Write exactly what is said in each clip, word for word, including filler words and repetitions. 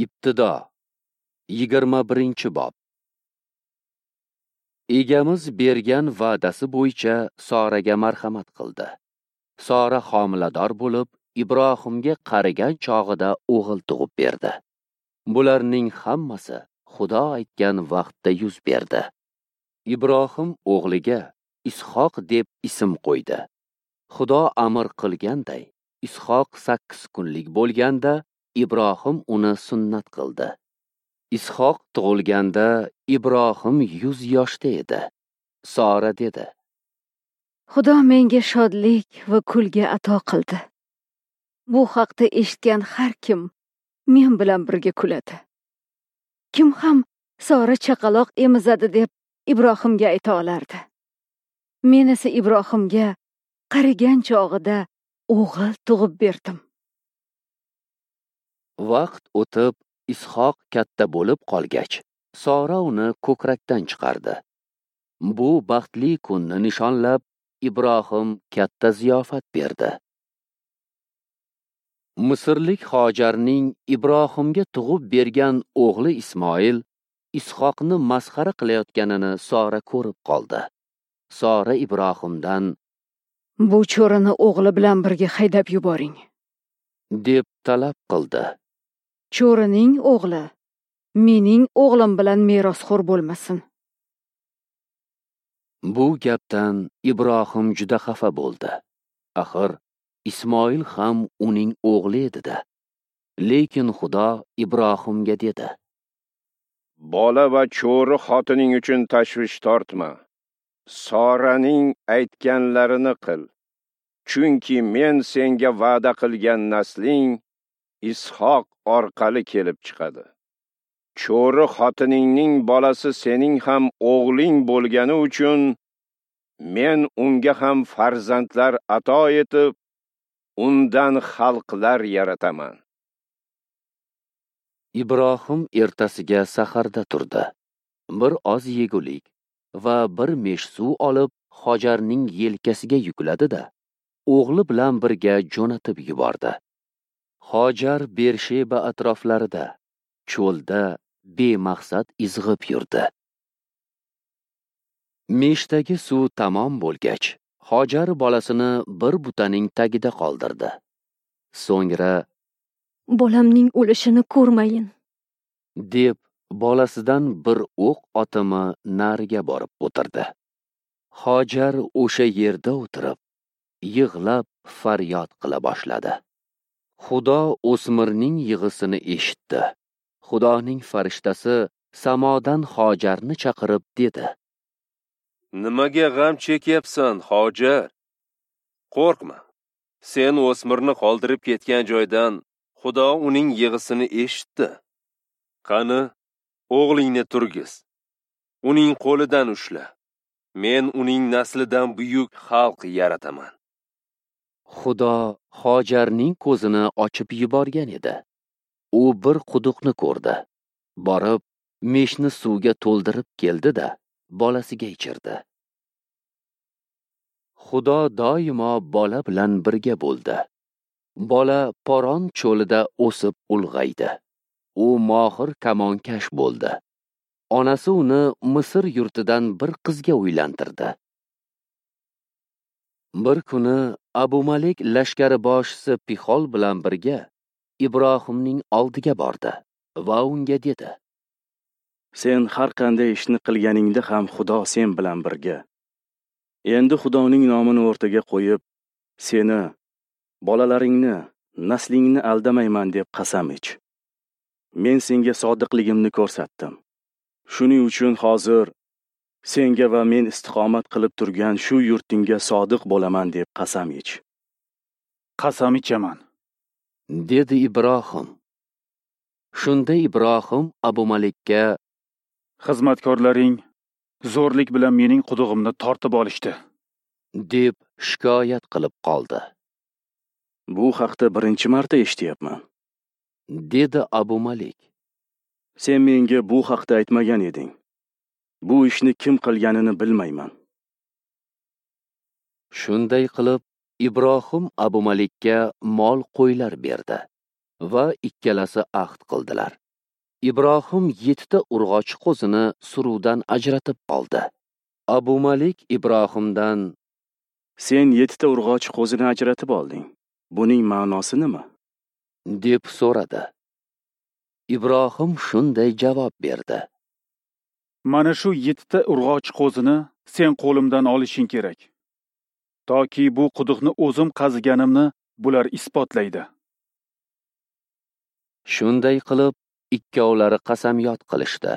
Ibtido yigirma birinchi bob. Egamiz bergan va'dasi bo'yicha Soraga marhamat qildi. Sora homilador bo'lib, Ibrohimga qarigan chog'ida o'g'il tug'ib berdi. Bularning hammasi Xudo aytgan vaqtda yuz berdi. Ibrohim o'g'liga Ishoq deb ism qo'ydi. Xudo amr qilganday, Ishoq sakkiz kunlik bo'lganda Ibrohim uni sunnat qildi. Ishoq tug'ilganda Ibrohim yuz yoshda edi. Sora dedi: Xudo menga shodlik va kulgi ato qildi. Bu haqda eshitgan har kim men bilan birga kuladi. Kim ham Sora chaqaloq emizadi deb Ibrohimga ayta olardi. Men esa Ibrohimga qarigan chog'ida o'g'il tug'ib berdim. Vaqt o'tib, Ishoq katta bo'lib qolgach, Sora uni ko'krakdan chiqardi. Bu baxtli kunni nishonlab, Ibrohim katta ziyofat berdi. Misrlik Hojarning Ibrohimga tug'ib bergan o'g'li Ismoil Ishoqni masxara qilayotganini Sora ko'rib qoldi. Sora Ibrohimdan: "Bu cho'rini o'g'li bilan birga haydab yuboring", deb talab qildi. Cho'rining o'g'li mening o'g'lim bilan merosxo'r bo'lmasin. Bu gapdan Ibrohim juda xafa bo'ldi. Axir Ismoil ham uning o'g'li edi-da. Lekin Xudo Ibrohimga dedi: "Bola va cho'ri xotining uchun tashvish tortma. Soraning aytganlarini qil. Chunki men senga va'da qilgan nasling Ishoq orqali kelib chiqadi. Cho'ri xotiningning bolasi sening ham o'g'ling bo'lgani uchun men unga ham farzandlar ato etib, undan xalqlar yarataman." Ibrohim ertasiga saharda turdi. Bir oz yegulik va bir mesh suv olib, Hojarning yelkasiga yukladi-da, o'g'li bilan birga jo'natib yubordi. Hojar Bersheba atroflarida, cho'lda bemaqsad izg'ib yurdi. Meshdagi suv tamom bo'lgach, Hojar bolasini bir butaning tagida qoldirdi. So'ngra: "Bolamning o'lishini ko'rmayin", deb bolasidan bir o'q otimi nariga borib o'tirdi. Hojar o'sha yerda o'tirib, yig'lab faryod qila boshladi. Xudo o'smirning yig'isini eshitdi. Xudoning farishtasi samodan Hojarni chaqirib dedi: "Nimaga g'am chekyapsan, Hojar? Qo'rqma. Sen o'smirni qoldirib ketgan joydan Xudo uning yig'isini eshitdi. Qani, o'g'lingni turgiz. Uning qo'lidan ushla. Men uning naslidan buyuk xalq yarataman." Xudo Hojarning ko'zini ochib yuborgan edi. U bir quduqni ko'rdi. Borib, meshni suvga to'ldirib keldi-da, bolasiga ichirdi. Xudo doimo bola bilan birga bo'ldi. Bola Poron cho'lida o'sib ulg'aydi. U mohir kamonkash bo'ldi. Onasi uni Misr yurtidan bir qizga uylantirdi. Bir kuni Abu Malik lashkari boshisi Pixol bilan birga Ibrohimning oldiga bordi va unga dedi: "Sen har qanday ishni qilganingda ham Xudo sen bilan birga. Endi Xudoning nomini o'rtaga qo'yib, seni, bolalaringni, naslingni aldamayman deb qasam ich. Men senga sodiqligimni ko'rsatdim. Shuning uchun hozir senga va men istiqomat qilib turgan shu yurtingga sodiq bo'laman deb qasam ich." "Qasam ichaman", dedi Ibrohim. Shunda Ibrohim Abu Malikka: "Xizmatkorlaring zo'rlik bilan mening qudug'imni tortib olishdi", deb shikoyat qilib qoldi. "Bu haqda birinchi marta eshityapman", dedi Abu Malik. "Sen menga bu haqda aytmagan eding. Bu ishni kim qilganini bilmayman." Shunday qilib Ibrohim Abu Malikka mol qo'ylar berdi va ikkalasi ahd qildilar. Ibrohim yettita urg'ochi qo'zini suruvdan ajratib oldi. Abumalik Ibrohimdan: "Sen yettita urg'ochi qo'zini ajratib olding. Buning ma'nosi nima?" deb so'radi. Ibrohim shunday javob berdi: "Mana shu yettita urg'ochi qo'zini sen qo'limdan olishing kerak, toki bu quduqni o'zim qaziganimni bular isbotlaydi." Shunday qilib ikkovlari qasamyod qilishdi.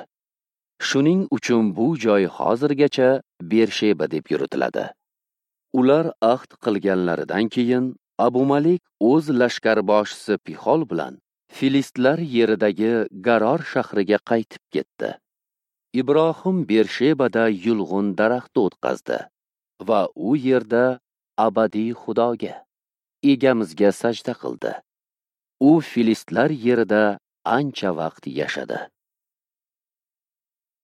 Shuning uchun bu joy hozirgacha Bersheba deb yuritiladi. Ular ahd qilganlaridan keyin Abumalik o'z lashkarboshisi Pixol bilan Filistlar yeridagi Garor shahriga qaytib ketdi. Ibrohim Bershebada yulg'un daraxti o'tqazdi va u yerda abadiy Xudoga, egamizga sajda qildi. U Filistlar yerida ancha vaqt yashadi.